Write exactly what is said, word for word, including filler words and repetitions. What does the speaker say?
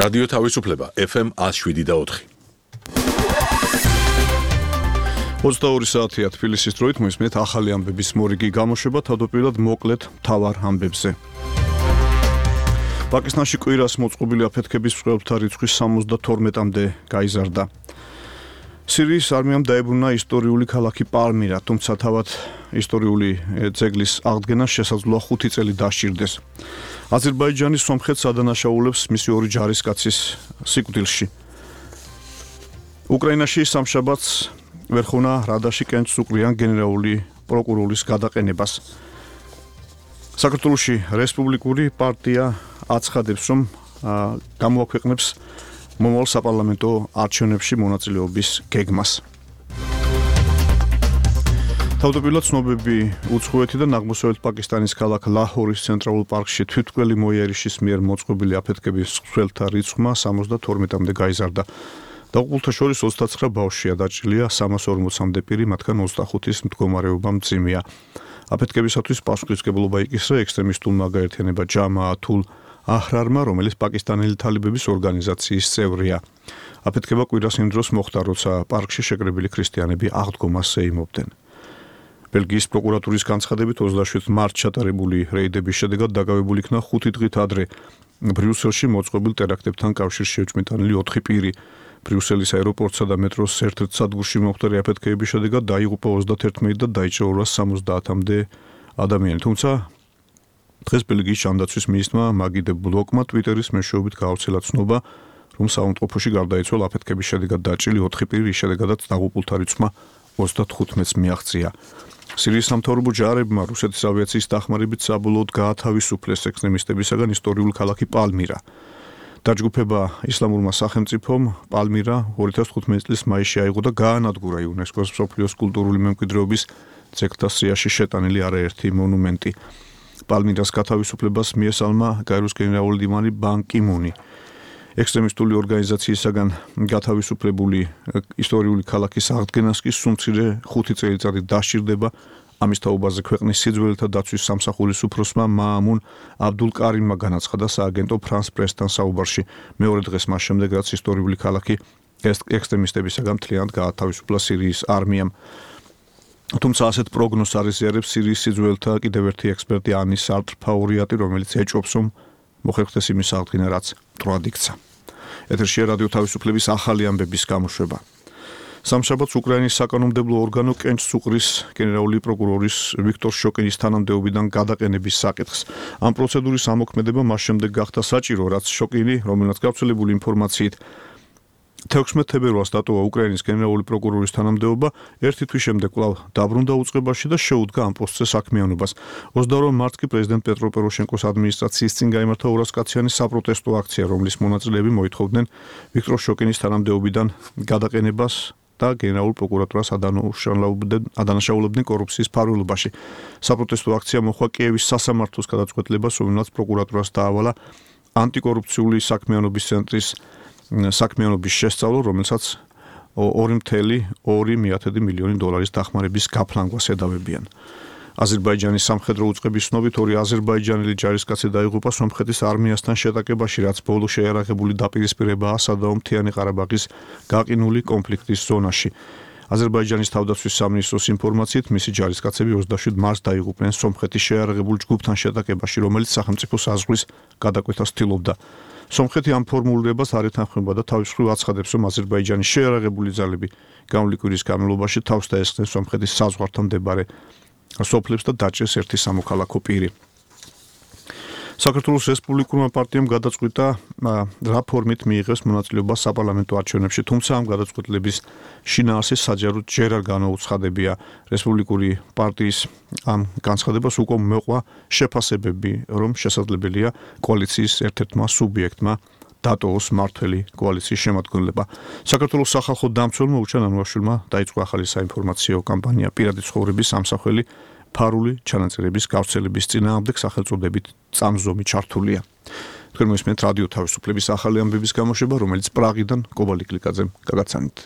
რადიო თავისუფლება ეფ ემ one oh seven და four. ოცდაორი საათია თბილისის დროით მოისმენთ ახალი ამბების მორიგი გამოშვება თავდაპირველად მოკლედ მთავარ ამბებზე. პაკისტანში კვირას მოწყობილი აფეთქების მსხვერპლთა რიცხვი სამოცდათორმეტამდე გაიზარდა. სირიის არმიამ დაებრუნა ისტორიული ქალაქი პალმირა, თუმცა თავად ისტორიული ძეგლის აღდგენა შესაძლოა ხუთი წელი დასჭირდეს. აზერბაიჯანი სომხეთს ადანაშაულებს მისი ორი ჯარისკაცის სიკვდილში. უკრაინაში სამშაბათს ვერხუნა რადაში კენჭს უყრიან გენერალური პროკურორის გადაყენებას. საქართველოში რესპუბლიკური პარტია აცხადებს, რომ გამოაქვეყნებს მომავალ საპარლამენტო არჩევნებში მონაწილეობის გეგმას. თავდაპირველად ცნობები უცხოეთიდან აღმოსავლეთ პაკისტანის ქალაქ ლაჰორის ცენტრალურ პარკში თვითმკვლელი მოიერიშის მიერ მოწყობილი აფეთქების მსხვერპლთა რიცხვმა სამოცდათორმეტამდე გაიზარდა. დაღუპულთა შორის ოცდაცხრა ბავშვია, დაჭრილია სამას ორმოცამდე პირი, მათგან ოცდახუთის მდგომარეობა მძიმეა. აფეთქებისათვის პასუხისმგებლობა იკისრა ექსტრემისტულმა გაერთიანება ჯამაათულ აჰრარმა, რომელიც პაკისტანელი თალიბების ორგანიზაციის წევრია. აფეთქება კვირას იმ დროს მოხდა, როცა პარკში შეკრებილი ქრისტიანები აღდგომას ეიმობდნენ. ბელგიის პროკურატურის განცხადებით ოცდაშვიდ მარტს ჩატარებული რეიდების შედეგად დაგავებული იქნა ხუთი დღით ადრე ბრიუსელში მოწყობილ ტერაქტებთან კავშირში ეჭვმიტანილი ოთხი პირი. ბრიუსელის აეროპორტსა და მეტროს ერთ-ერთ სადგურში მომხდარი აფეთქების შედეგად დაიღუპა ოცდაათერთმეტი და დაიჭრა ორას სამოცდაათამდე ადამიანი. თუმცა დღეს ბელგიის ჯანდაცვის მინისტრმა მაგიდე ბლოკმა ტვიტერის მეშვეობით გაავრცელა ცნობა, რომ საავადმყოფოში გარდაიცვალა აფეთქების შედეგად დაჭრილი ოთხი პირი, რის შედეგადაც დაღუპულთა რიცხვმა ოცდათხუთმეტს მიაღწია. სირიის სამთავრობო ჯარებმა რუსეთის ავიაციის დახმარებით საბოლოოდ გაათავისუფლეს ექსტრემისტებისაგან ისტორიული ქალაქი პალმირა. დაჯგუფება ისლამურმა სახელმწიფომ პალმირა ორი ათას თხუთმეტი წლის მაისში აიღო და გაანადგურა იუნესკოს მსოფლიოს კულტურული მემკვიდრეობის ძეგლთა სიაში შეტანილი არაერთი მონუმენტი. პალმირას გათავისუფლებას მიესალმა გაეროს გენერალური მდივანი ბან კი მუნი. ექსტრემისტული ორგანიზაციისაგან გათავისუფლებული ისტორიული ქალაქის აღდგენას კი სულ მცირე ხუთი წელიწადი დასჭირდება. ამის თაობაზე ქვეყნის სიძველეთა დაცვის სამსახურის უფროსმა მაამუნ აბდულკარიმმა განაცხადა სააგენტო ფრანს პრესთან საუბარში მეორე დღეს მას შემდეგ, რაც ისტორიული ქალაქი ექსტრემისტებისაგან მთლიანად გაათავისუფლა სირიის არმიამ. თუმცა ასეთ პროგნოზს არ ეზიარებს სირიის სიძველეთა კიდევ ერთი ექსპერტი ანის არტრფაურიატი, რომელიც ეჭვობს, რომ მოხერხდეს იმის აღდგენა, რაც მტრად იქცა. ეთერშია რადიო თავისუფლების ახალი ამბების გამოშვება. სამშაბათს უკრაინის საკანონმდებლო ორგანო კენჭს უყრის გენერალური პროკურორის ვიქტორ შოკინის თანამდებობიდან გადაყენების საკითხს. ამ პროცედურის ამოქმედება მას შემდეგ გახდა საჭირო, რაც შოკინი, რომელსაც გავრცელებული ინფორმაციით თექვსმეტ თებერვალს დატოვა უკრაინის გენერალური პროკურორის თანამდებობა, ერთი თვის შემდეგ კვლავ დაბრუნდა უწყებაში და შეუდგა ამ პოსტზე საქმიანობას. ოცდაორ მარტს კი პრეზიდენტ პეტრო პოროშენკოს ადმინისტრაციის წინ გაიმართა ორასკაციანი საპროტესტო აქცია, რომლის მონაწილეები მოითხოვდნენ ვიქტორ შოკინის თანამდებობიდან გადაყენებას და გენერალურ პროკურატურას ადანაშაულებდნენ კორუფციის ფარველობაში. საპროტესტო აქცია მოხდა კიევის სასამართლოს გადაწყვეტილებას, რომელსაც პროკურატურას დაავალა ანტიკორუფციული საქმიანობის ცენტრის საქმიანობის შესწავლა, რომელსაც ორი წუთი ორი მილიონი დოლარის დახმარების გაფლანგვას ედავებიან. აზერბაიჯანის სამხედრო უწყების ცნობით ორი აზერბაიჯანელი ჯარისკაცი დაიღუპა სომხეთის არმიასთან შეტაკებაში, რაც ბოლო შეიარაღებული დაპირისპირებაა სადავო მთიანი ყარაბაღის გაყინული კონფლიქტის ზონაში. აზერბაიჯანის თავდაცვის სამინისტროს ინფორმაციით მისი ჯარისკაცები ოცდაშვიდ მარტს დაიღუპნენ სომხეთის შეიარაღებულ ჯგუფთან შეტაკებაში, რომელიც სახელმწიფო საზღვრის გადაკვეთას ცდილობდა. სომხეთი ამ ფორმულირებას არ ეთანხმება და თავის მხრივ აცხადებს, რომ აზერბაიჯანის შეიარაღებული ძალები გამვლი კვირის განმავლობაში თავს დაესხნენ სომხეთის საზღვართან მდებარე სოფლებს და დაჭრეს ერთი სამოქალაქო პირი. საქართველოს რესპუბლიკურმა პარტიამ გადაწყვიტა რა ფორმით მიიღებს მონაწილეობა საპარლამენტო არჩევნებში, თუმცა ამ გადაწყვეტილების შინაარსი საჯაროდ ჯერ არ განაუცხადებია. რესპუბლიკური პარტიის ამ განცხადებას უკვე მოყვა შეფასებები, რომ შესაძლებელია კოალიციის ერთ-ერთმა სუბიექტმა დატოვოს მართველი კოალიციის შემადგენლობა. საქართველოს სახალხო დამცველმა უჩან ანუაშვილმა დაიწყო ახალი საინფორმაციო კამპანია პირადი ცხოვრების ამსახველი ფარული ჩანაწერების გავრცელების წინააღმდეგ სახელწოდებით წამზომი ჩართულია. თქვენ მოისმენთ რადიო თავისუფლების ახალი ამბების გამოშვება, რომელიც პრაღიდან კობალტ კლიკაძემ გაგაცანით.